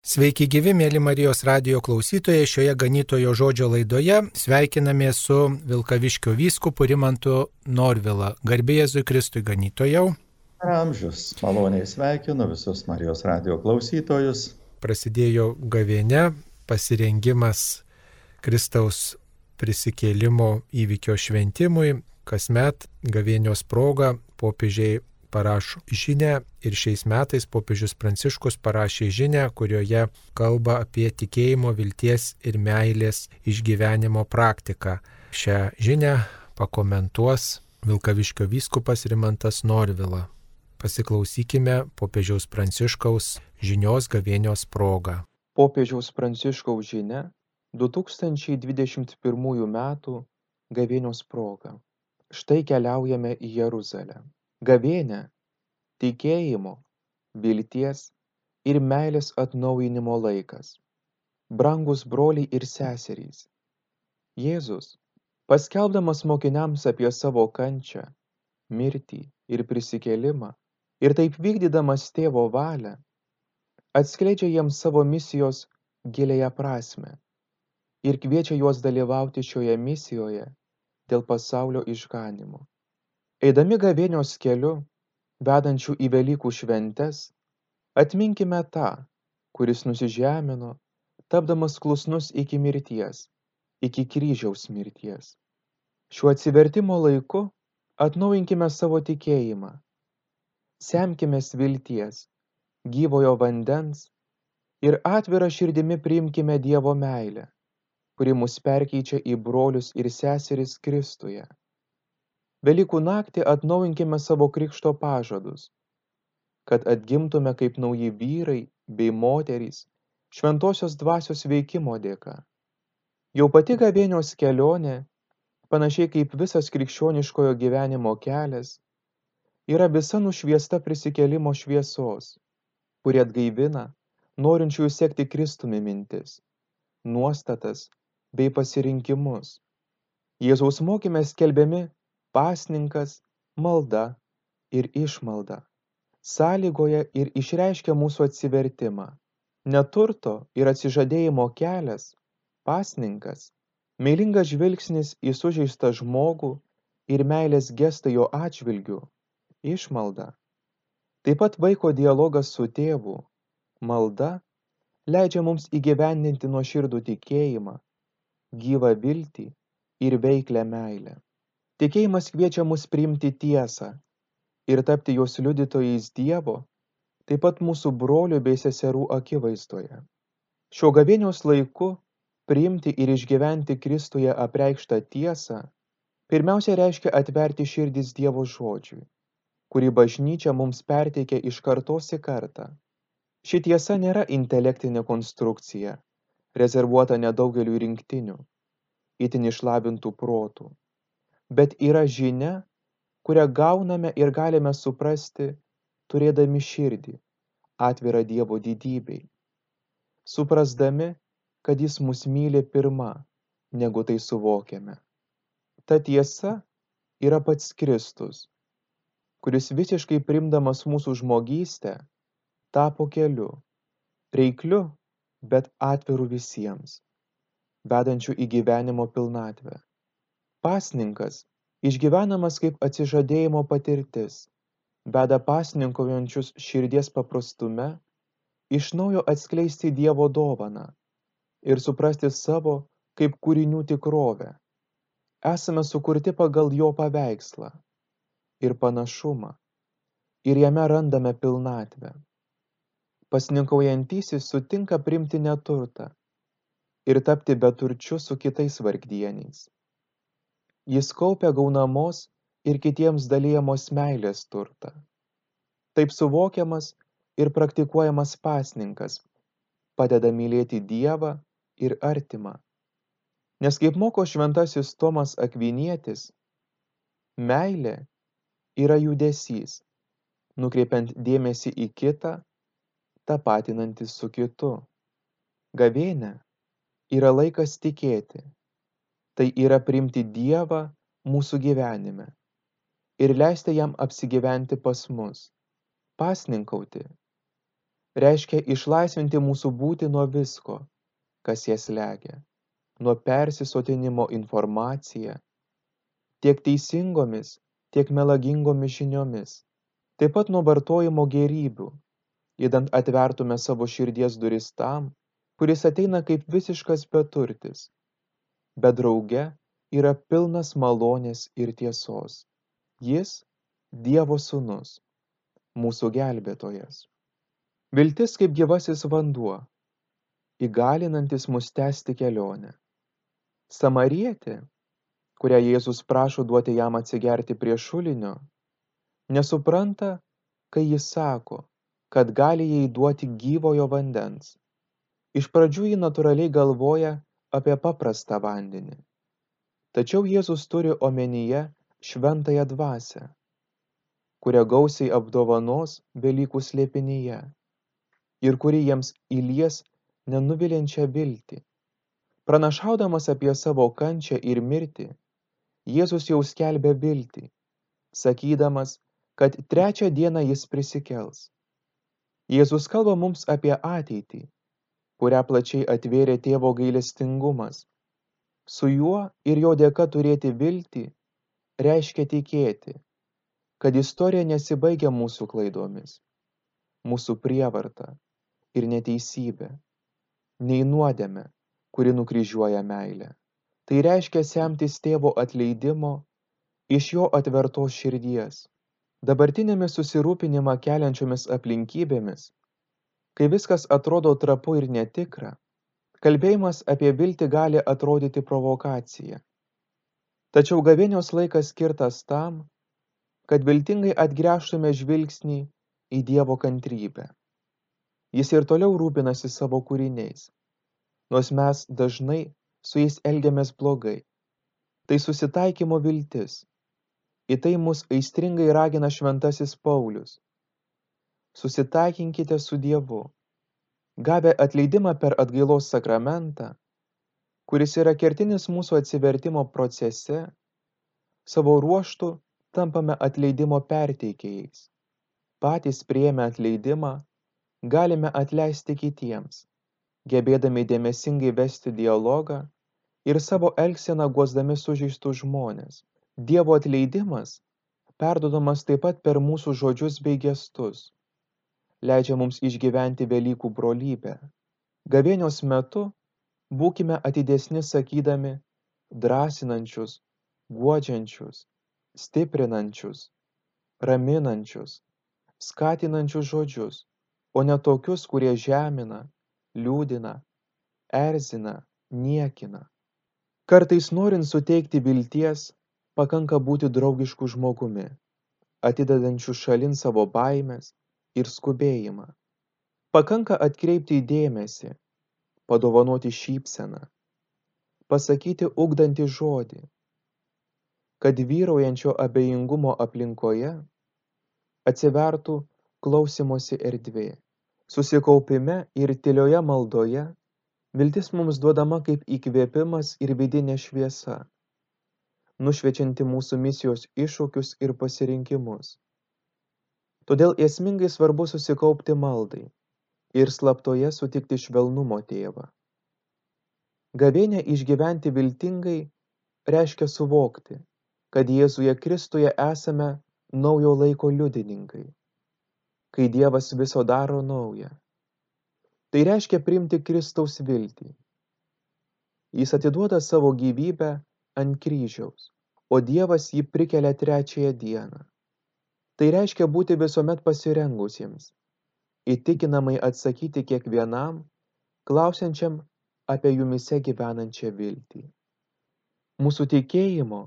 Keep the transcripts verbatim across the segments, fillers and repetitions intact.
Sveiki gyvi, mėly Marijos radijo klausytojai, šioje ganytojo žodžio laidoje sveikiname su Vilkaviškio vyskupu Rimantu Norvila. Garbė Jėzui Kristui ganytojau. Per amžius maloniai sveikinu visus Marijos radijo klausytojus. Prasidėjo gavėnia, pasirengimas Kristaus prisikėlimo įvykio šventimui. Kasmet gavėnios proga popiežiai parašo žinią ir šiais metais popiežius Pranciškus parašė žinią, kurioje kalba apie tikėjimo, vilties ir meilės išgyvenimo praktiką. Šią žinią pakomentuos Vilkaviškio vyskupas Rimantas Norvila. Pasiklausykime popiežiaus Pranciškaus žinios gavėnios proga. Popiežiaus Pranciškaus žinia du tūkstančiai dvidešimt pirmųjų metų gavėnios proga. Štai keliaujame į Jeruzalę. Gavėnia – tikėjimo, vilties ir meilės atnaujinimo laikas. Brangūs broliai ir seserys, Jėzus, paskelbdamas mokiniams apie savo kančią, mirtį ir prisikėlimą, ir taip vykdydamas tėvo valią, atskleidžia jiems savo misijos giliąją prasmę ir kviečia juos dalyvauti šioje misijoje dėl pasaulio išganymo. Eidami gavėnios keliu, vedančių į Velykų šventes, atminkime tą, kuris nusižemino, tapdamas klusnus iki mirties, iki kryžiaus mirties. Šiuo atsivertimo laiku atnaujinkime savo tikėjimą. Semkimės vilties, gyvojo vandens ir atvira širdimi priimkime Dievo meilę, kuri mus perkeičia į brolius ir seseris Kristuje. Velykų naktį atnaujinkime savo krikšto pažadus, kad atgimtume kaip nauji vyrai bei moterys šventosios dvasios veikimo dėka. Jau pati gavėnios kelionė, panašiai kaip visas krikščioniškojo gyvenimo kelias, yra visa nušviesta prisikėlimo šviesos, kuri atgaivina norinčiųjų sekti Kristumi mintis, nuostatas bei pasirinkimus. Jėzaus mokyme skelbiami pasninkas, malda ir išmalda, sąlygoja ir išreiškia mūsų atsivertimą. Neturto ir atsižadėjimo kelias, pasninkas, meilingas žvilgsnis į sužeistą žmogų ir meilės gestą jo atžvilgiu, išmalda. Taip pat vaiko dialogas su tėvu, malda, leidžia mums įgyvendinti nuoširdų tikėjimą, gyvą viltį ir veiklią meilę. Tikėjimas kviečia mus priimti tiesą ir tapti jos liudytojais Dievo, taip pat mūsų brolių bei seserų akivaizdoje. Šio gavėnios laiku priimti ir išgyventi Kristuje apreikštą tiesą pirmiausia reiškia atverti širdis Dievo žodžiui, kurį bažnyčia mums perteikia iš kartos į kartą. Ši tiesa nėra intelektinė konstrukcija, rezervuota nedaugeliui rinktinių, itin išlavintų protų, bet yra žinia, kurią gauname ir galime suprasti, turėdami širdį, atvirą Dievo didybei, suprasdami, kad Jis mus myli pirma, negu tai suvokiame. Ta tiesa yra pats Kristus, kuris visiškai priimdamas mūsų žmogystę, tapo keliu, reikliu, bet atviru visiems, vedančiu į gyvenimo pilnatvę. Pasninkas, išgyvenamas kaip atsižadėjimo patirtis, veda pasninkaujančius širdies paprastume, iš naujo atskleisti Dievo dovaną ir suprasti savo kaip kūrinių tikrovę. Esame sukurti pagal jo paveikslą ir panašumą, ir jame randame pilnatvę. Pasninkaujantysis sutinka priimti neturtą ir tapti beturčiu su kitais vargdieniais. Jis kaupia gaunamos ir kitiems dalijamos meilės turtą. Taip suvokiamas ir praktikuojamas pasninkas padeda mylėti Dievą ir artimą. Nes kaip moko šventasis Tomas Akvinietis, meilė yra judesys, nukreipiant dėmesį į kitą, tapatinantis su kitu. Gavėnia yra laikas tikėti. Tai yra priimti Dievą mūsų gyvenime ir leisti jam apsigyventi pas mus, pasninkauti, reiškia išlaisvinti mūsų būtį nuo visko, kas jas slegia, nuo persisotinimo informacija, tiek teisingomis, tiek melagingomis žiniomis, taip pat nuo vartojimo gėrybių, idant atvertume savo širdies duris tam, kuris ateina kaip visiškas beturtis, bet drauge yra pilnas malonės ir tiesos. Jis Dievo sūnus, mūsų gelbėtojas. Viltis kaip gyvasis vanduo, įgalinantis mus tęsti kelionę. Samarietė, kurią Jėzus prašo duoti jam atsigerti prie šulinio, nesupranta, kai jis sako, kad gali jai duoti gyvojo vandens. Iš pradžių ji natūraliai galvoja apie paprastą vandenį. Tačiau Jėzus turi omenyje šventąją dvasią, kurią gausiai apdovanos Velykų slėpinyje ir kuri jiems įlies nenuviliančią viltį. Pranašaudamas apie savo kančią ir mirtį, Jėzus jau skelbia viltį, sakydamas, kad trečią dieną jis prisikels. Jėzus kalba mums apie ateitį, kurią plačiai atvėrė tėvo gailestingumas. Su juo ir jo dėka turėti viltį reiškia tikėti, kad istorija nesibaigia mūsų klaidomis, mūsų prievarta ir neteisybė, nei nuodėme, kuri nukryžiuoja meilę. Tai reiškia semtis tėvo atleidimo iš jo atvertos širdies. Dabartinėmis susirūpinimą keliančiomis aplinkybėmis, kai viskas atrodo trapu ir netikra, kalbėjimas apie viltį gali atrodyti provokacija. Tačiau gavėnios laikas skirtas tam, kad viltingai atgręžtume žvilgsnį į Dievo kantrybę. Jis ir toliau rūpinasi savo kūriniais, nors mes dažnai su jais elgiamės blogai. Tai susitaikymo viltis. Į tai mus aistringai ragina šventasis Paulius. Susitaikinkite su Dievu. Gavę atleidimą per atgailos sakramentą, kuris yra kertinis mūsų atsivertimo procese, savo ruožtu tampame atleidimo perteikėjais. Patys priėmę atleidimą, galime atleisti kitiems, gebėdami dėmesingai vesti dialogą ir savo elgseną guosdami sužeistus žmones. Dievo atleidimas perduodamas taip pat per mūsų žodžius bei gestus, leidžia mums išgyventi Velykų brolybę. Gavėnios metu būkime atidesni sakydami drąsinančius, guodžiančius, stiprinančius, raminančius, skatinančius žodžius, o ne tokius, kurie žemina, liūdina, erzina, niekina. Kartais norint suteikti vilties, pakanka būti draugišku žmogumi, atidedančiu šalin savo baimės ir skubėjimą. Pakanka atkreipti dėmesį, padovanoti šypseną, pasakyti ugdantį žodį, kad vyraujančio abejingumo aplinkoje atsivertų klausymosi erdvė. Susikaupime ir tylioje maldoje viltis mums duodama kaip įkvėpimas ir vidinė šviesa, nušviečianti mūsų misijos iššūkius ir pasirinkimus. Todėl esmingai svarbu susikaupti maldai ir slaptoje sutikti švelnumo tėvą. Gavėnią išgyventi viltingai reiškia suvokti, kad Jėzuje Kristuje esame naujo laiko liudininkai, kai Dievas viso daro naują. Tai reiškia priimti Kristaus viltį. Jis atiduoda savo gyvybę ant kryžiaus, o Dievas jį prikelia trečiąją dieną. Tai reiškia būti visuomet pasirengusiems, įtikinamai atsakyti kiekvienam, klausiančiam apie jumise gyvenančią viltį. Mūsų tikėjimo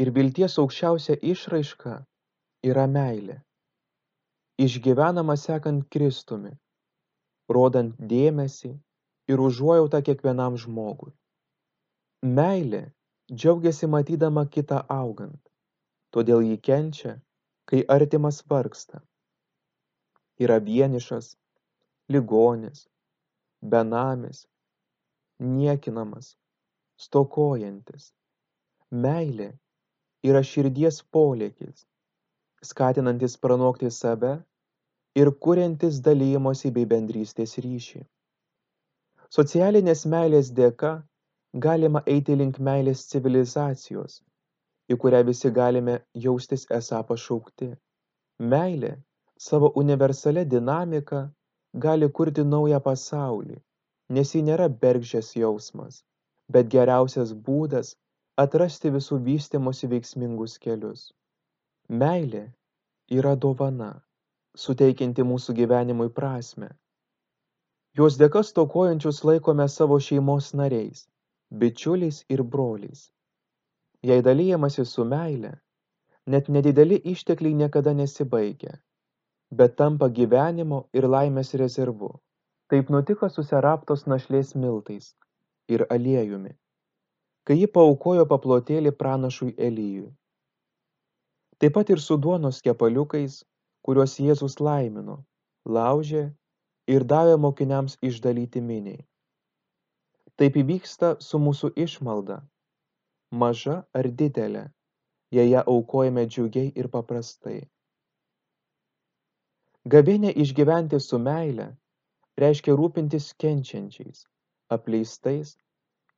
ir vilties aukščiausia išraiška yra meilė, išgyvenama sekant Kristumi, rodant dėmesį ir užuojautą kiekvienam žmogui. Meilė džiaugiasi matydama kitą augant, todėl ji kenčia, kai artimas vargsta. Yra vienišas, ligonis, benamis, niekinamas, stokojantis. Meilė yra širdies polėkis, skatinantis pranokti save ir kuriantis dalymosi bei bendrystės ryšį. Socialinės meilės dėka galima eiti link meilės civilizacijos, į kurią visi galime jaustis esą pašaukti. Meilė savo universalia dinamika gali kurti naują pasaulį, nes ji nėra bergždžias jausmas, bet geriausias būdas atrasti visų vystymosi veiksmingus kelius. Meilė yra dovana, suteikianti mūsų gyvenimui prasmę. Jos dėka stokojančius laikome savo šeimos nariais, bičiuliais ir broliais. Jei dalijamasi su meile, net nedideli ištekliai niekada nesibaigia, bet tampa gyvenimo ir laimės rezervu. Taip nutiko su Seraptos našlės miltais ir aliejumi, kai ji paaukojo paplotėlį pranašui Elijui. Taip pat ir su duonos kepaliukais, kuriuos Jėzus laimino, laužė ir davė mokiniams išdalyti miniai. Taip įvyksta su mūsų išmalda, maža ar didelė, jei ją aukojame džiugiai ir paprastai. Gavėnią išgyventi su meile reiškia rūpintis kenčiančiais, apleistais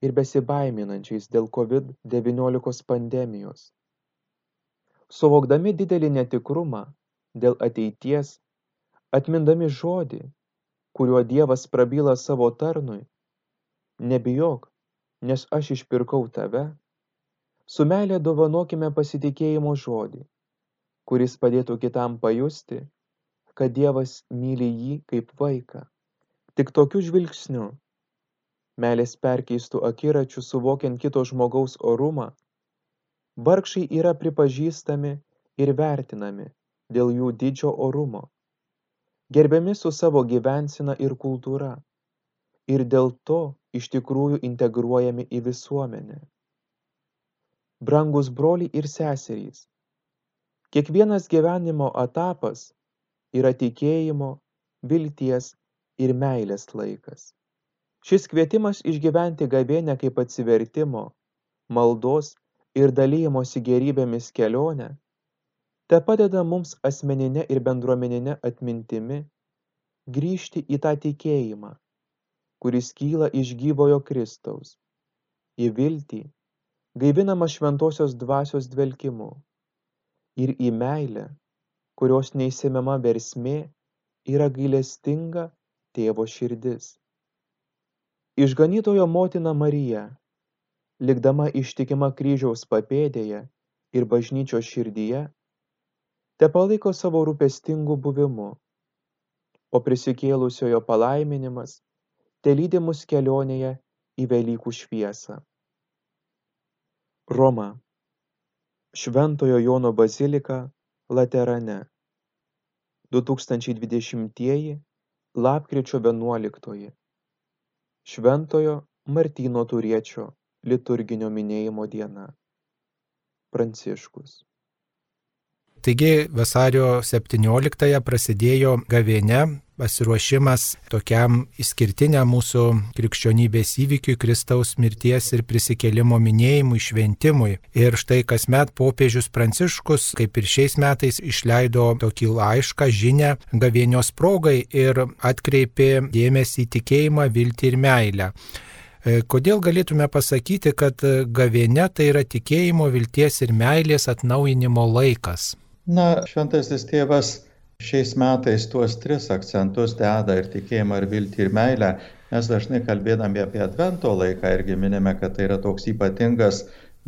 ir besibaiminančiais dėl kovid devyniolika pandemijos. Suvokdami didelį netikrumą dėl ateities, atmindami žodį, kuriuo Dievas prabyla savo tarnui, nebijok, nes aš išpirkau tave, su meile dovanokime pasitikėjimo žodį, kuris padėtų kitam pajusti, kad Dievas myli jį kaip vaiką. Tik tokiu žvilgsniu, meilės perkeistų akiračių suvokiant kito žmogaus orumą, vargšai yra pripažįstami ir vertinami dėl jų didžio orumo, gerbiami su savo gyvensena ir kultūra, ir dėl to iš tikrųjų integruojami į visuomenę. Brangus broliai ir seserys, kiekvienas gyvenimo etapas yra tikėjimo, vilties ir meilės laikas. Šis kvietimas išgyventi gavėnią kaip atsivertimo, maldos ir dalijimosi gėrybėmis kelionę te padeda mums asmeninė ir bendruomeninė atmintimi grįžti į tą tikėjimą, kuris kyla iš gyvojo Kristaus, į viltį, gaivinamą šventosios dvasios dvelkimu, ir į meilę, kurios neįsemiama versmė yra gailestinga tėvo širdis. Išganytojo motina Marija, likdama ištikima kryžiaus papėdėje ir bažnyčios širdyje, te palaiko savo rūpestingu buvimu, o prisikėlusiojo palaiminimas te lydi mus kelionėje į Velykų šviesą. Roma, Šventojo Jono bazilika Laterane, du tūkstančiai dvidešimtieji lapkričio vienuoliktoji. Šventojo Martyno Turiečio liturginio minėjimo diena. Pranciškus. Taigi vasario septynioliktąją prasidėjo gavėnia, pasiruošimas tokiam išskirtiniam mūsų krikščionybės įvykiui, Kristaus mirties ir prisikėlimo minėjimui, šventimui. Ir štai kasmet popiežius Pranciškus, kaip ir šiais metais, išleido tokį laišką, žinią gavėnios progai ir atkreipė dėmesį į tikėjimą, viltį ir meilę. Kodėl galėtume pasakyti, kad gavėnia tai yra tikėjimo, vilties ir meilės atnaujinimo laikas? Na, šventasis tėvas šiais metais tuos tris akcentus deda ir tikėjimą, ir viltį, ir meilę. Mes dažnai kalbėdami apie Advento laiką irgi minime, kad tai yra toks ypatingas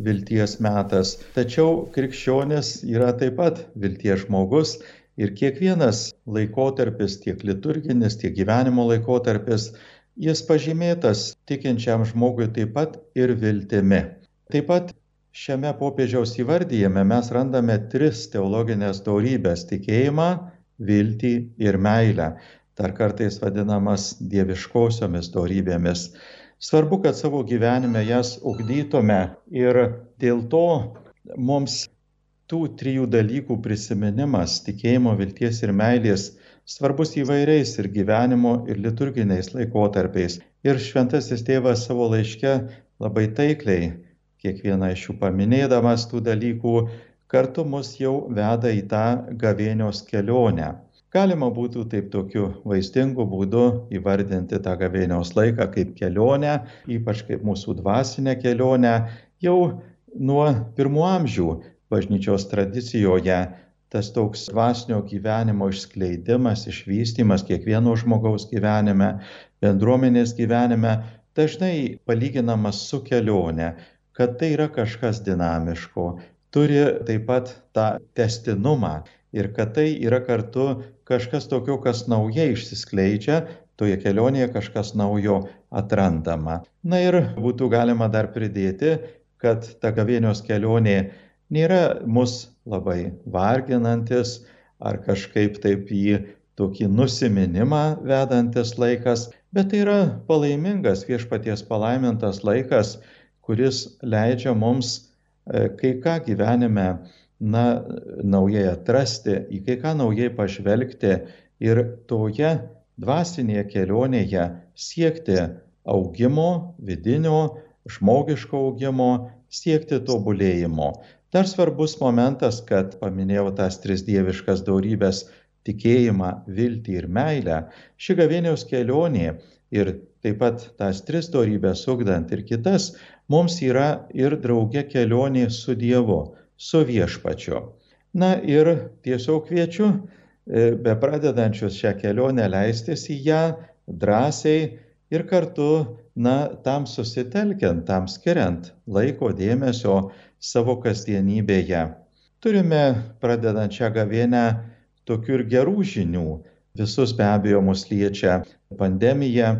vilties metas. Tačiau krikščionis yra taip pat vilties žmogus ir kiekvienas laikotarpis, tiek liturginis, tiek gyvenimo laikotarpis, jis pažymėtas tikinčiam žmogui taip pat ir viltimi. Taip pat šiame popiežiaus įvardyjime mes randame tris teologinės dorybės – tikėjimą, viltį ir meilę, dar kartais vadinamas dieviškosiomis dorybėmis. Svarbu, kad savo gyvenime jas ugdytume ir dėl to mums tų trijų dalykų prisiminimas – tikėjimo, vilties ir meilės – svarbus įvairiais ir gyvenimo, ir liturginiais laikotarpiais. Ir šventasis tėvas savo laiške labai taikliai, kiekvieną iš jų paminėdamas tų dalykų, kartu mus jau veda į tą gavėnios kelionę. Galima būtų taip tokiu vaizdingu būdu įvardinti tą gavėnios laiką kaip kelionę, ypač kaip mūsų dvasinę kelionę. Jau nuo pirmų amžių bažnyčios tradicijoje tas toks dvasinio gyvenimo išskleidimas, išvystymas kiekvieno žmogaus gyvenime, bendruomenės gyvenime dažnai palyginamas su kelionė, kad tai yra kažkas dinamiško, turi taip pat tą testinumą ir kad tai yra kartu kažkas tokio, kas naujai išsiskleidžia, toje kelionėje kažkas naujo atrandama. Na ir būtų galima dar pridėti, kad ta gavėnios kelionė nėra mus labai varginantis ar kažkaip taip į tokį nusiminimą vedantis laikas, bet tai yra palaimingas viešpaties palaimintas laikas, kuris leidžia mums kai ką gyvenime na, naujai atrasti, į kai ką naujai pažvelgti ir toje dvasinėje kelionėje siekti augimo, vidinio, žmogiško augimo, siekti tobulėjimo. Dar svarbus momentas, kad paminėjau tas tris dieviškas dorybes - tikėjimą, viltį ir meilę. Ši gavėnios kelionė ir taip pat tas tris dorybes ugdant ir kitas, mums yra ir drauge kelionė su Dievu, su viešpačiu. Na ir tiesiog kviečiu, be pradedančius šią kelionę leistis į ją drąsiai ir kartu, na, tam susitelkiant, tam skiriant laiko dėmesio savo kasdienybėje. Turime, pradedant šią gavėnią, tokių ir gerų žinių. Visus be abejo mus liečia pandemija.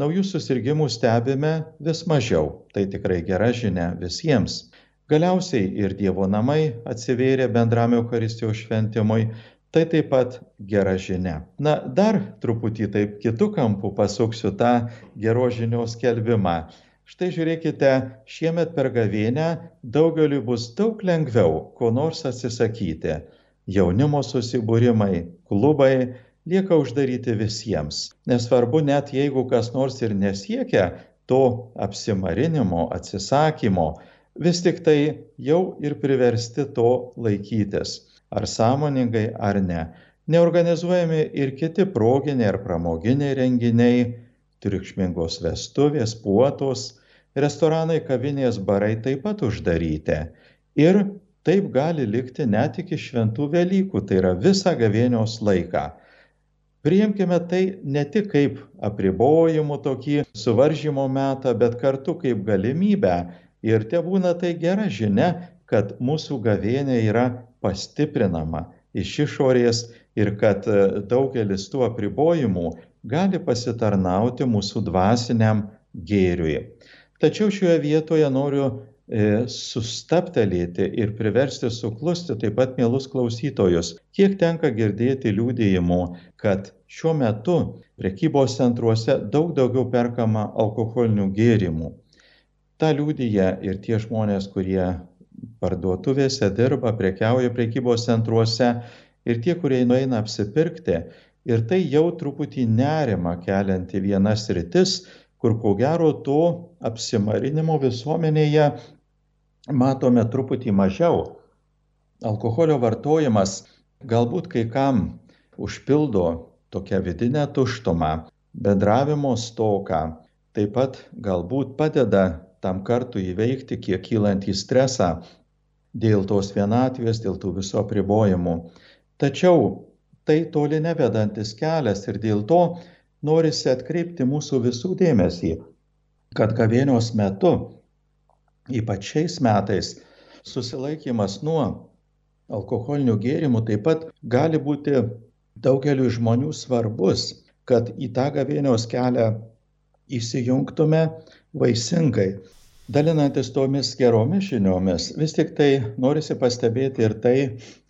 Naujų susirgimų stebime vis mažiau. Tai tikrai gera žinia visiems. Galiausiai ir Dievo namai atsivėrė bendram Eucharistijos šventimui. Tai taip pat gera žinia. Na, dar truputį taip kitų kampų pasuksiu tą geros žinios skelbimą. Štai žiūrėkite, šiemet per gavėnią daugeliui bus daug lengviau ko nors atsisakyti. Jaunimo susibūrimai, klubai lieka uždaryti visiems. Nesvarbu, net jeigu kas nors ir nesiekia to apsimarinimo, atsisakymo, vis tik tai jau ir priversti to laikytis. Ar sąmoningai, ar ne. Neorganizuojami ir kiti proginiai ar pramoginiai renginiai, triukšmingos vestuvės, puotos, restoranai, kavinės, barai taip pat uždaryti. Ir taip gali likti net iki šventų Velykų, tai yra visą gavėnios laiką. Priimkime tai ne tik kaip apribojimų tokį suvaržymo metą, bet kartu kaip galimybę. Ir tebūna tai gera žinia, kad mūsų gavėnė yra pastiprinama iš išorės ir kad daugelis tų apribojimų gali pasitarnauti mūsų dvasiniam gėriui. Tačiau šioje vietoje noriu e, sustabtelėti ir priversti suklusti taip pat mielus klausytojus. Kiek tenka girdėti liudijimų, kad šiuo metu prekybos centruose daug daugiau perkama alkoholinių gėrimų. Ta liudija ir tie žmonės, kurie parduotuvėse dirba, prekiauja prekybos centruose ir tie, kurie nueina apsipirkti. Ir tai jau truputį nerimą kelianti viena sritis, kur ko gero to apsimarinimo visuomenėje matome truputį mažiau. Alkoholio vartojimas galbūt kai kam užpildo tokią vidinę tuštumą, bendravimo stoką, taip pat galbūt padeda tam kartu įveikti kiek kylantį stresą dėl tos vienatvės, dėl tų viso apribojimų. Tačiau tai toli nevedantis kelias ir dėl to norisi atkreipti mūsų visų dėmesį, kad gavėnios metu, ypač šiais metais, susilaikymas nuo alkoholinių gėrimų taip pat gali būti daugeliu žmonių svarbus, kad į tą gavėnios kelią įsijungtume vaisingai. Dalinantis tomis geromis žiniomis, vis tik tai norisi pastebėti ir tai,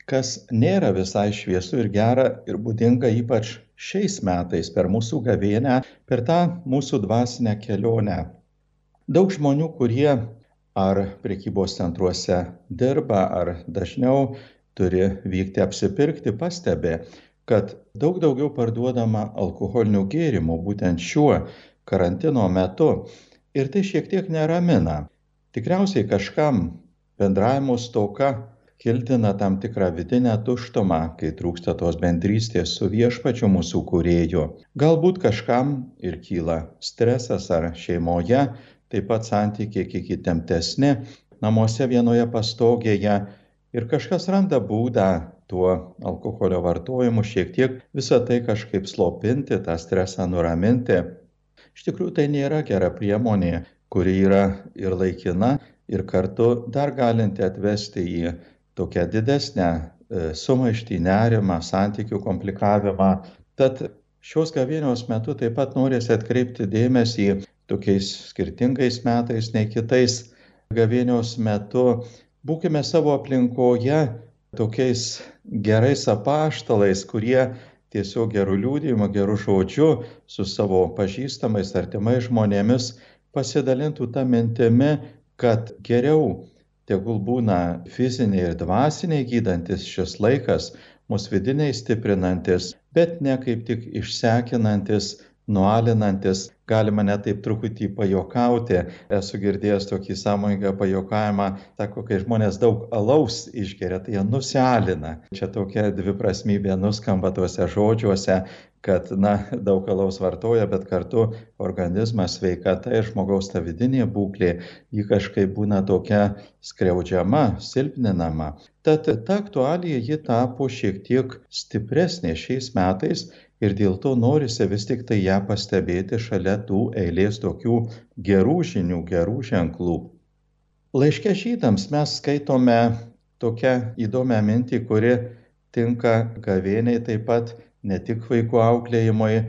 kas nėra visai šviesu ir gera ir būdinga ypač šiais metais per mūsų gavėnią, per tą mūsų dvasinę kelionę. Daug žmonių, kurie ar prekybos centruose dirba, ar dažniau turi vykti apsipirkti, pastebi, kad daug daugiau parduodama alkoholinių gėrimų būtent šiuo karantino metu. Ir tai šiek tiek neramina. Tikriausiai kažkam bendravimo stoka kildina tam tikrą vidinę tuštumą, kai trūksta tos bendrystės su viešpačiu mūsų kūrėju. Galbūt kažkam ir kyla stresas ar šeimoje, taip pat santykiai kiek įtemptesni, namuose vienoje pastogėje ir kažkas randa būdą tuo alkoholio vartojimu šiek tiek visą tai kažkaip slopinti, tą stresą nuraminti. Iš tikrųjų tai nėra gera priemonė, kuri yra ir laikina, ir kartu dar galinti atvesti į tokią didesnę sumaištį, nerimą, santykių komplikavimą. Tad šios gavėnios metu taip pat norisi atkreipti dėmesį tokiais skirtingais metais nei kitais gavėnios metu. Būkime savo aplinkoje tokiais gerais apaštalais, kurie tiesiog gerų liudijimų, gerų žodžių su savo pažįstamais, artimais žmonėmis pasidalintų tą mintimi, kad geriau tegul būna fiziniai ir dvasiniai gydantis šis laikas, mus vidiniai stiprinantis, bet ne kaip tik išsekinantis, nualinantis, galima net taip truputį pajokauti. Esu girdėjęs tokį sąmoningą pajokavimą, sako, kai žmonės daug alaus išgeria, tai jie nusialina. Čia tokia dviprasmybė nuskamba tuose žodžiuose, kad, na, daug alaus vartoja, bet kartu organizmas, sveikata ir žmogaus ta vidinė būklė, ji kažkaip būna tokia skriaudžiama, silpninama. Tad ta aktualija ji tapo šiek tiek stipresnė šiais metais ir dėl to norisi vis tik tai ją pastebėti šalia tų eilės tokių gerų žinių, gerų ženklų. Laiške žydams mes skaitome tokią įdomią mintį, kuri tinka gavėniai taip pat, ne tik vaikų auklėjimui.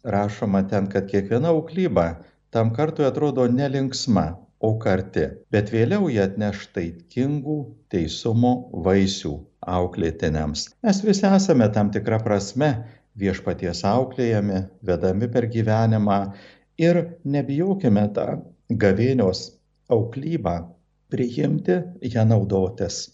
Rašoma ten, kad kiekviena auklyba tam kartui atrodo nelinksma, o karti, bet vėliau jie atneš taikingų teisumo vaisių auklėtiniams. Mes visi esame tam tikrą prasme viešpaties auklėjami, vedami per gyvenimą ir nebijokime tą gavėnios auklybą priimti, ją naudotis.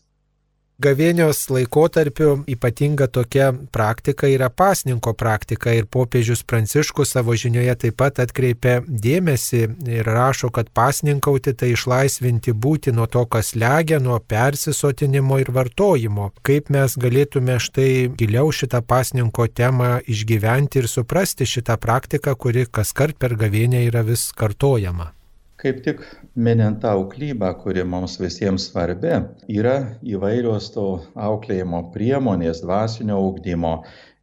Gavėnios laikotarpiu ypatinga tokia praktika yra pasninko praktika ir popiežius Pranciškus savo žinioje taip pat atkreipia dėmesį ir rašo, kad pasninkauti tai išlaisvinti būti nuo to, kas slegia, nuo persisotinimo ir vartojimo. Kaip mes galėtume štai giliau šitą pasninko temą išgyventi ir suprasti šitą praktiką, kuri kaskart per gavėnę yra vis kartojama. Kaip tik minint tą auklybą, kuri mums visiems svarbi, yra įvairios to auklėjimo priemonės, dvasinio ugdymo.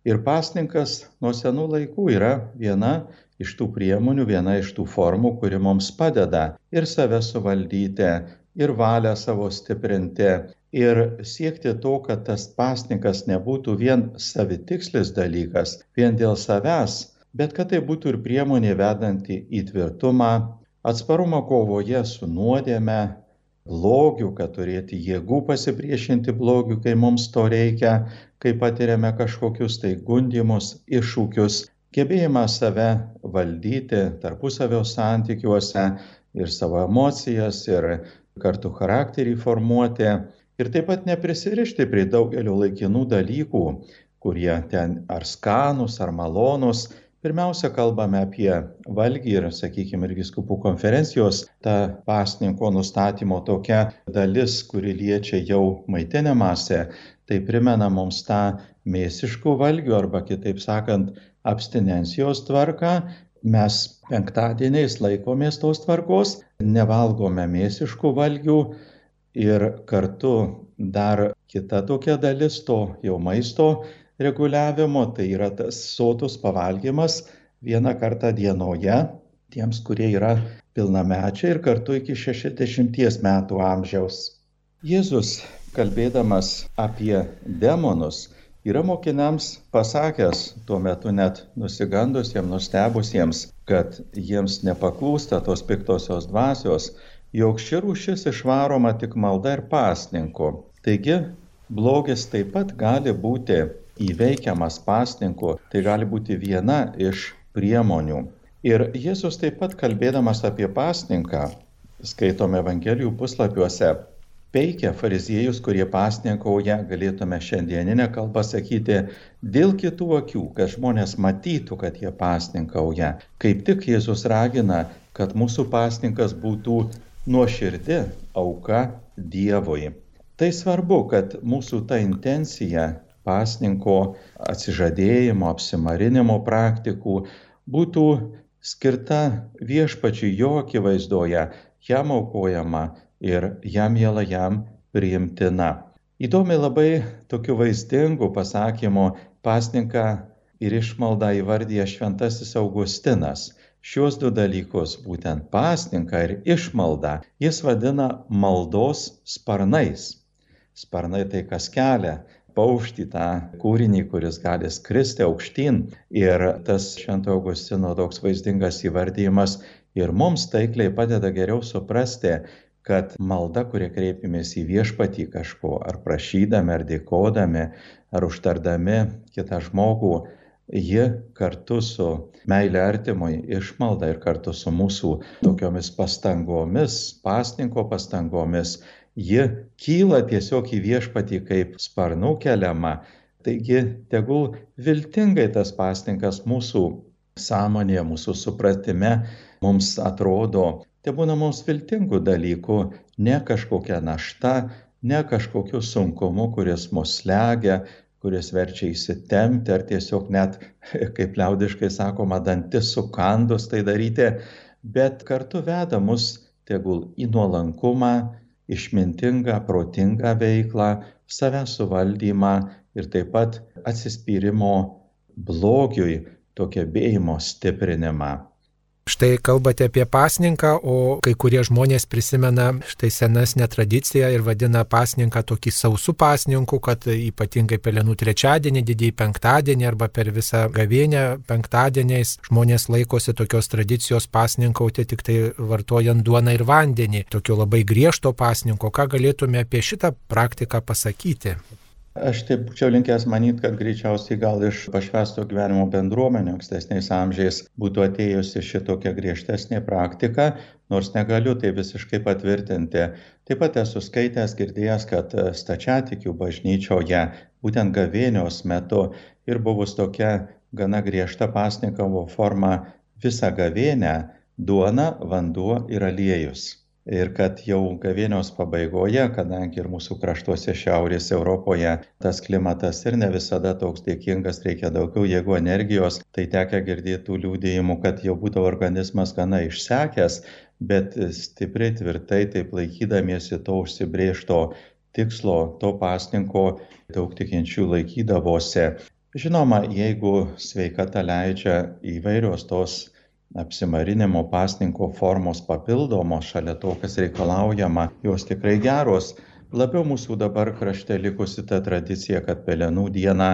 Ir pasninkas nuo senų laikų yra viena iš tų priemonių, viena iš tų formų, kuri mums padeda ir save suvaldyti, ir valią savo stiprinti, ir siekti to, kad tas pasninkas nebūtų vien savitikslis dalykas, vien dėl savęs, bet kad tai būtų ir priemonė vedanti į tvirtumą, atsparumą kovoje su nuodėme, blogiu, kad turėti jėgų pasipriešinti blogiu, kai mums to reikia, kai patiriame kažkokius tai gundymus, iššūkius, gebėjimą save valdyti tarpusavio santykiuose ir savo emocijas, ir kartu charakterį formuoti, ir taip pat neprisirišti prie daugelio laikinų dalykų, kurie ten ar skanūs, ar malonūs. Pirmiausia, kalbame apie valgį ir, sakykime, ir vyskupų konferencijos, ta pasninko nustatymo tokia dalis, kuri liečia jau maitinimąsi, tai primena mums tą mėsiškų valgių arba, kitaip sakant, abstinencijos tvarką. Mes penktadieniais laikomės tos tvarkos, nevalgome mėsiškų valgių ir kartu dar kita tokia dalis to jau maisto reguliavimo, tai yra tas sotus pavalgymas vieną kartą dienoje tiems, kurie yra pilnamečiai ir kartu iki šešiasdešimties metų amžiaus. Jėzus, kalbėdamas apie demonus, yra mokiniams pasakęs, tuo metu net nusigandusiems, nustebusiems, kad jiems nepaklūsta tos piktosios dvasios, jog ši rūšis išvaroma tik malda ir pasninku. Taigi, blogis taip pat gali būti įveikiamas pasninku, tai gali būti viena iš priemonių. Ir Jėzus taip pat kalbėdamas apie pasninką, skaitome Evangelijų puslapiuose, peikia fariziejus, kurie pasninkauja, galėtume šiandieninę kalbą sakyti, dėl kitų akių, kad žmonės matytų, kad jie pasninkauja. Kaip tik Jėzus ragina, kad mūsų pasninkas būtų nuoširdi auka Dievui. Tai svarbu, kad mūsų ta intencija pasninko atsižadėjimo, apsimarinimo praktikų būtų skirta viešpačiui jo akivaizdoje, jam aukojama ir jam miela, jam priimtina. Įdomiai labai tokiu vaizdingu pasakymu pasninką ir išmaldą įvardyja šventasis Augustinas. Šios du dalykus, būtent pasninką ir išmaldą, jis vadina maldos sparnais. Sparnai tai kas kelia paukštį, tą kūrinį, kuris gali skristi aukštyn. Ir tas Švento Augustino toks vaizdingas įvardyjimas ir mums taikliai padeda geriau suprasti, kad malda, kuria kreipiamės į viešpatį kažko, ar prašydami, ar dėkodami, ar užtardami kitą žmogų, ji kartu su meilė artimui, išmalda ir kartu su mūsų tokiomis pastangomis, pasninko pastangomis, ji kyla tiesiog į viešpatį kaip sparnų keliama. Taigi, tegul viltingai tas pasninkas mūsų sąmonėje, mūsų supratime mums atrodo, tai būna mums viltingų dalykų, ne kažkokia našta, ne kažkokiu sunkumu, kuris mus slegia, kuris verčia įsitempti, ar tiesiog net, kaip liaudiškai sakoma, dantis sukandus tai daryti, bet kartu veda mus tegul į nuolankumą, išmintingą, protingą veiklą, savęs suvaldymą ir taip pat atsispyrimo blogiui, to gebėjimo stiprinimą. Štai kalbate apie pasninką, o kai kurie žmonės prisimena štai senesnę tradiciją ir vadina pasninką tokį sausų pasninku, kad ypatingai Pelenų trečiadienį, didįjį penktadienį arba per visą gavėnią penktadieniais žmonės laikosi tokios tradicijos pasninkauti tik tai vartojant duoną ir vandenį, tokio labai griežto pasninko. Ką galėtume apie šitą praktiką pasakyti? Aš taip būčiau linkęs manyti, kad greičiausiai gal iš pašvęsto gyvenimo bendruomenių ankstesniais amžiais būtų atėjusi šitokia griežtesnė praktika, nors negaliu tai visiškai patvirtinti. Taip pat esu skaitęs, girdėjęs, kad stačiatikių bažnyčioje būtent gavėnios metu ir buvus tokia gana griežta pasninkavo forma visą gavėnę – duona, vanduo ir aliejus. Ir kad jau gavėnios pabaigoje, kadangi ir mūsų kraštuose Šiaurės Europoje tas klimatas ir ne visada toks dėkingas, reikia daugiau jėgų, energijos, tai tekę girdėti tų liudijimų, kad jau būdavo organizmas gana išsekęs, bet stipriai tvirtai taip laikydamiesi to užsibrėžto tikslo, to pasninko, daug tikinčių laikydavosi. Žinoma, jeigu sveikata leidžia, įvairios tos apsimarinimo pasninko formos papildomos šalia to, kas reikalaujama, jos tikrai geros. Labiau mūsų dabar krašte likusi ta tradicija, kad Pelenų dieną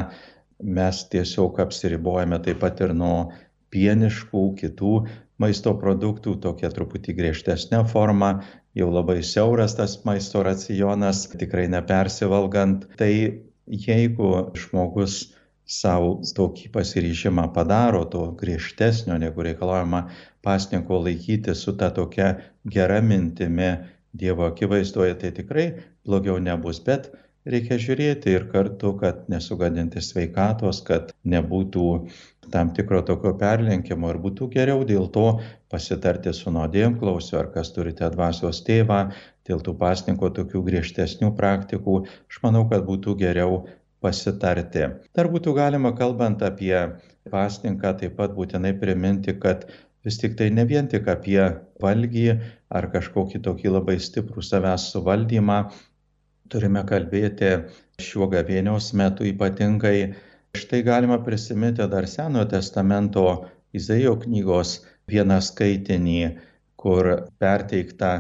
mes tiesiog apsiribojame taip pat ir nuo pieniškų kitų maisto produktų, tokia truputį griežtesnė forma, jau labai siauras tas maisto racionas, tikrai nepersivalgant. Tai jeigu žmogus savo tokį pasiryžimą padaro, to griežtesnio, negu reikalaujama pasninko laikyti su ta tokia gera mintimi Dievo akivaizdoje, tai tikrai blogiau nebus, bet reikia žiūrėti ir kartu, kad nesugadinti sveikatos, kad nebūtų tam tikro tokio perlenkimo ir būtų geriau dėl to pasitarti su nuodėmklausiu, ar kas turite dvasios tėvą, dėl tų pasninko tokių griežtesnių praktikų, aš manau, kad būtų geriau pasitarti. Dar būtų galima, kalbant apie pasninką, taip pat būtinai priminti, kad vis tik tai ne vien tik apie valgį ar kažkokį tokį labai stiprų savęs suvaldymą turime kalbėti šiuo gavėnios metu ypatingai. Štai galima prisiminti dar Senojo testamento Izaijo knygos vieną skaitinį, kur perteikta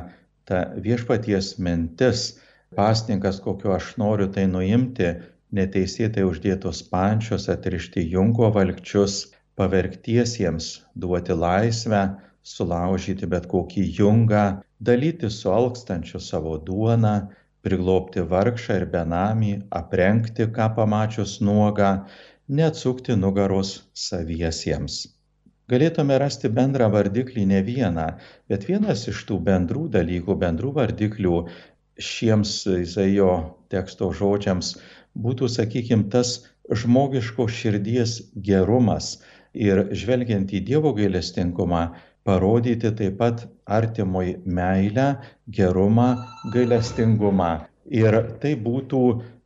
ta viešpaties mintis, pasninkas, kokio aš noriu tai nuimti, neteisėtai uždėtos pančios, atrišti jungo valkčius, pavergtiesiems duoti laisvę, sulaužyti bet kokį jungą, dalyti su alkstančiu savo duoną, priglobti vargšą ir benamį, aprengti, ką pamačius nuogą, neatsukti nugaros saviesiems. Galėtume rasti bendrą vardiklį ne vieną, bet vienas iš tų bendrų dalykų, bendrų vardiklių šiems Izaijo teksto žodžiams būtų, sakykime, tas žmogiško širdies gerumas ir žvelgiant į Dievo gailestingumą, parodyti taip pat artimui meilę, gerumą, gailestingumą. Ir tai būtų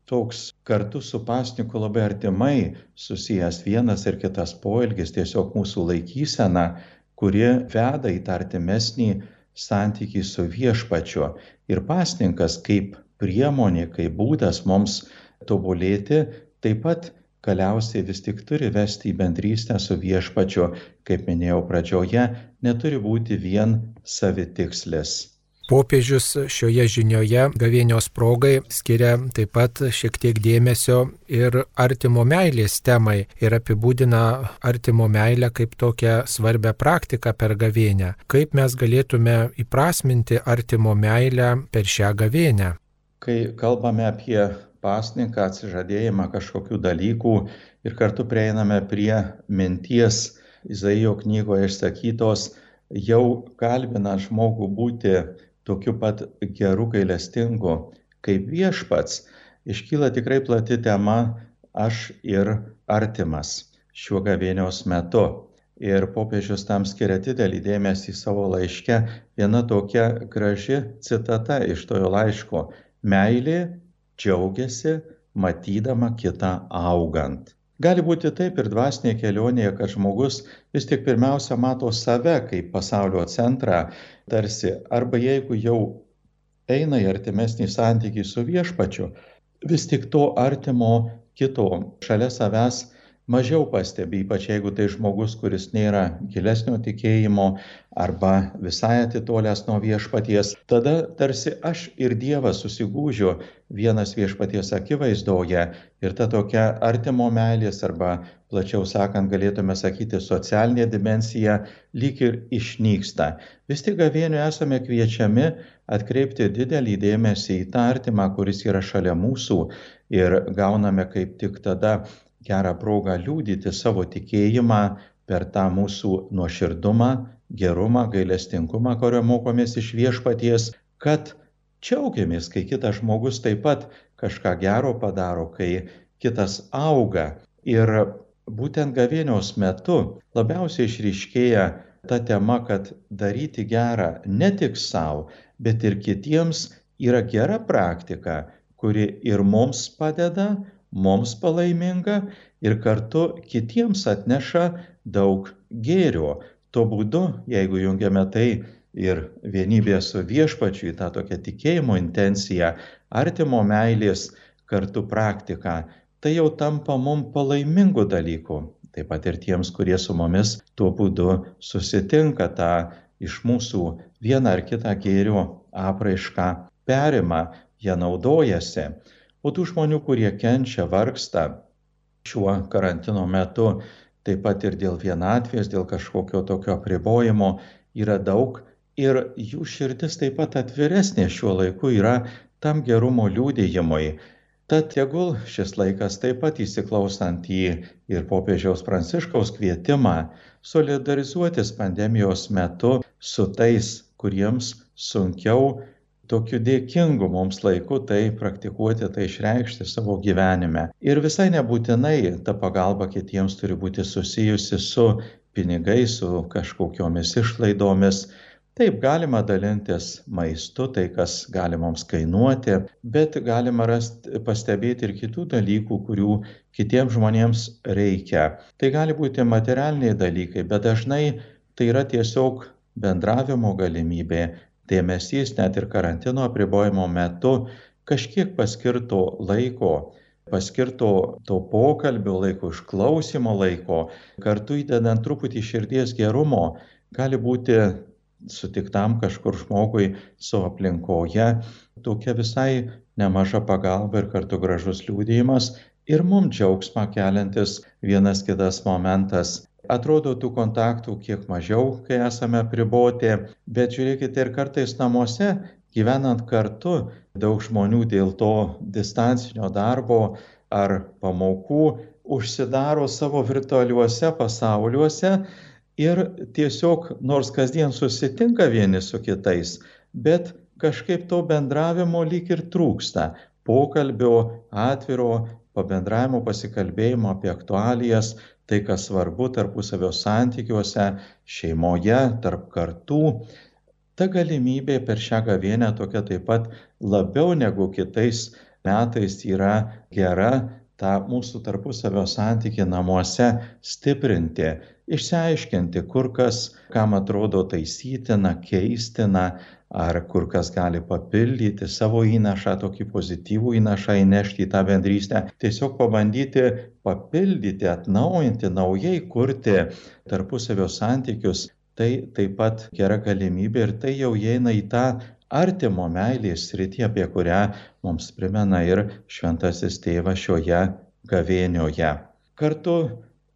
toks kartu su pasniku labai artimai susijęs vienas ir kitas poelgis, tiesiog mūsų laikysena, kuri veda į tą artimesnį santykį su viešpačiu. Ir pasninkas kaip priemonė, kaip būdas mums tobulėti, taip pat galiausiai vis tik turi vesti į bendrystę su viešpačiu, kaip minėjau pradžioje, neturi būti vien savitikslis. Popiežius šioje žinioje gavėnios progai skiria taip pat šiek tiek dėmesio ir artimo meilės temai ir apibūdina artimo meilę kaip tokią svarbią praktiką per gavėnią. Kaip mes galėtume įprasminti artimo meilę per šią gavėnią? Kai kalbame apie pasninką, atsižadėjimą kažkokių dalykų ir kartu prieiname prie minties Izaijo knygoje išsakytos, jau kalbina žmogų būti tokiu pat geru gailestingu kaip viešpats, iškyla tikrai plati tema aš ir artimas šiuo gavėnios metu. Ir popiežius tam skiria didelį dėmesį savo laiške. Viena tokia graži citata iš tojo laiško: meilė džiaugiasi matydama kitą augant. Gali būti taip ir dvasinėje kelionėje, kad žmogus vis tik pirmiausia mato save kaip pasaulio centrą, tarsi, arba jeigu jau eina į artimesnį santykį su viešpačiu, vis tik to artimo kito šalia savęs mažiau pastebi, ypač jeigu tai žmogus, kuris nėra gilesnio tikėjimo arba visai atitolęs nuo viešpaties. Tada tarsi aš ir Dievas susigūžiu vienas viešpaties akivaizdoje ir ta tokia artimo meilės arba, plačiau sakant, galėtume sakyti, socialinė dimensija lyg ir išnyksta. Vis tik gavėnių esame kviečiami atkreipti didelį dėmesį į tą artimą, kuris yra šalia mūsų, ir gauname kaip tik tada gerą progą liudyti savo tikėjimą per tą mūsų nuoširdumą, gerumą, gailestingumą, kurio mokomės iš viešpaties, kad džiaugiamės, kai kitas žmogus taip pat kažką gero padaro, kai kitas auga. Ir būtent gavėnios metu labiausiai išryškėja ta tema, kad daryti gerą ne tik savo, bet ir kitiems yra gera praktika, kuri ir mums padeda, mums palaiminga ir kartu kitiems atneša daug gėrio. Tuo būdu, jeigu jungiame tai ir vienybė su viešpačiu į tą tokią tikėjimo intenciją, artimo meilės kartu praktiką, tai jau tampa mums palaimingų dalykų. Taip pat ir tiems, kurie su mumis tuo būdu susitinka, tą iš mūsų vieną ar kitą gėrio apraišką perima, jie naudojasi. O tų žmonių, kurie kenčia, vargsta šiuo karantino metu, taip pat ir dėl vienatvės, dėl kažkokio tokio apribojimo, yra daug ir jų širdis taip pat atviresnė šiuo laiku yra tam gerumo liudijimui. Tad tegul šis laikas taip pat įsiklausant į ir popiežiaus Pranciškaus kvietimą solidarizuotis pandemijos metu su tais, kuriems sunkiau tokiu dėkingu mums laiku tai praktikuoti, tai išreikšti savo gyvenime. Ir visai nebūtinai ta pagalba kitiems turi būti susijusi su pinigais, su kažkokiomis išlaidomis. Taip, galima dalintis maistu, tai kas gali mums kainuoti, bet galima rasti, pastebėti ir kitų dalykų, kurių kitiems žmonėms reikia. Tai gali būti materialiniai dalykai, bet dažnai tai yra tiesiog bendravimo galimybė, dėmesys net ir karantino apribojimo metu, kažkiek paskirto laiko, paskirto to pokalbio laiko, išklausimo laiko, kartu įdedant truputį širdies gerumo, gali būti sutiktam kažkur žmogui savo aplinkoje tokia visai nemaža pagalba ir kartu gražus liudijimas ir mums džiaugsmą keliantis vienas kitas momentas. Atrodo, tų kontaktų kiek mažiau, kai esame apriboti, bet žiūrėkite, ir kartais namuose, gyvenant kartu, daug žmonių dėl to distancinio darbo ar pamokų užsidaro savo virtualiuose pasauliuose ir tiesiog, nors kasdien susitinka vieni su kitais, bet kažkaip to bendravimo lyg ir trūksta. Pokalbio, atviro, pabendravimo, pasikalbėjimo apie aktualijas, tai, kas svarbu tarpusavio santykiuose, šeimoje, tarp kartų. Ta galimybė per šią gavėnią tokia taip pat labiau negu kitais metais yra gera tą mūsų tarpusavio santykį namuose stiprinti, išsiaiškinti, kur kas, kam atrodo taisytina, keistina, ar kur kas gali papildyti savo įnašą, tokį pozityvų įnašą įnešti į tą bendrystę. Tiesiog pabandyti papildyti, atnaujinti, naujai kurti tarpusavio santykius. Tai taip pat gera galimybė ir tai jau įeina į tą artimo meilės sritį, apie kurią mums primena ir šventasis tėvas šioje gavėnioje. Kartu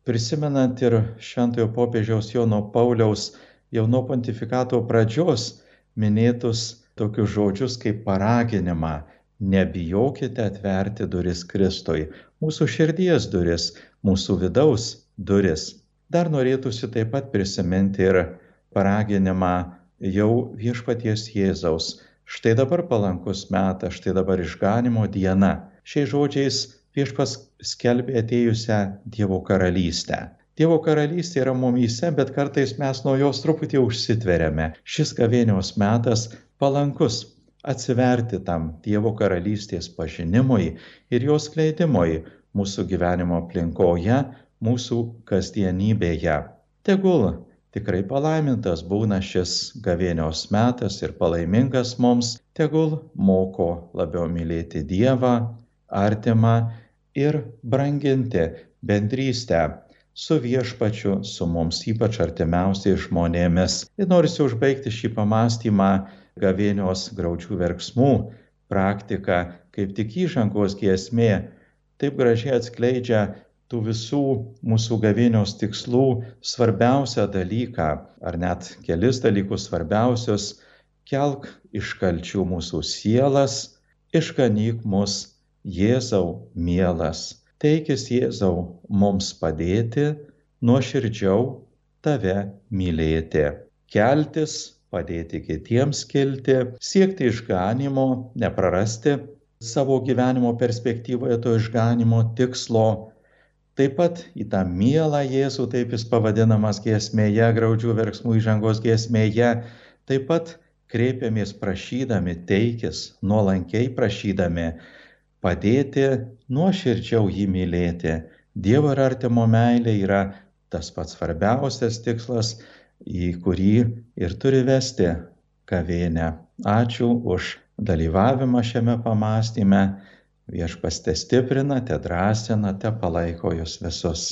prisimenant ir šventojo popiežiaus Jono Pauliaus jau nuo pontifikato pradžios minėtus tokius žodžius kaip paraginimą: nebijokite atverti duris Kristui, mūsų širdies duris, mūsų vidaus duris. Dar norėtųsi taip pat prisiminti ir paraginimą jau viešpaties Jėzaus. Štai dabar palankus metas, štai dabar išganimo diena. Šiais žodžiais viešpats skelbė atėjusią Dievo karalystę. Dievo karalystė yra mumyse, bet kartais mes nuo jos truputį užsitveriame. Šis gavėnios metas palankus atsiverti tam Dievo karalystės pažinimui ir jos skleidimui mūsų gyvenimo aplinkoje, mūsų kasdienybėje. Tegul tikrai palaimintas būna šis gavėnios metas ir palaimingas mums, tegul moko labiau mylėti Dievą, artimą ir branginti bendrystę su viešpačiu, su mums ypač artimiausiais žmonėmis. Ir norisi užbaigti šį pamąstymą gavėnios graudžių verksmų praktika, kaip tik įžangos giesmė, taip gražiai atskleidžia tų visų mūsų gavėnios tikslų svarbiausią dalyką, ar net kelis dalykus svarbiausius: kelk iš kalčių mūsų sielas, išganyk mus, Jėzau mielas. Teikis Jėzau mums padėti, nuoširdžiau tave mylėti, keltis, padėti kitiems kilti, siekti išganimo, neprarasti savo gyvenimo perspektyvoje to išganimo tikslo. Taip pat į tą mielą Jėzų, taip jis pavadinamas giesmėje, graudžių verksmų įžangos giesmėje, taip pat kreipiamės prašydami, teikis, nuolankiai prašydami padėti, nuoširdžiau jį mylėti. Dievo ir artimo meilė yra tas pats svarbiausias tikslas, į kurį ir turi vesti gavėnią. Ačiū už dalyvavimą šiame pamąstyme. Viešpats te stiprina, te drąsina, te palaiko jūs visus.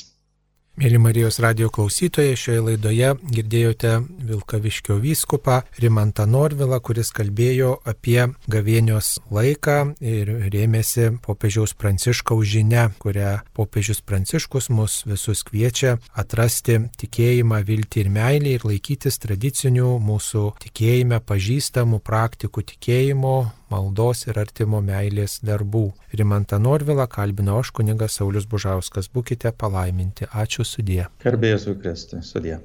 Mėly Marijos radijo klausytojai, šioje laidoje girdėjote Vilkaviškio vyskupą Rimantą Norvilą, kuris kalbėjo apie gavėnios laiką ir rėmėsi popiežiaus Pranciškaus žinia, kurią popiežius Pranciškus mus visus kviečia atrasti tikėjimą, viltį ir meilę ir laikytis tradicinių mūsų tikėjime pažįstamų praktikų tikėjimo, maldos ir artimo meilės darbų. Rimantą Norvilą kalbino aš, kunigas Saulius Bužauskas. Būkite palaiminti. Ačiū, sudie. Garbė Jėzui Kristui, sudie.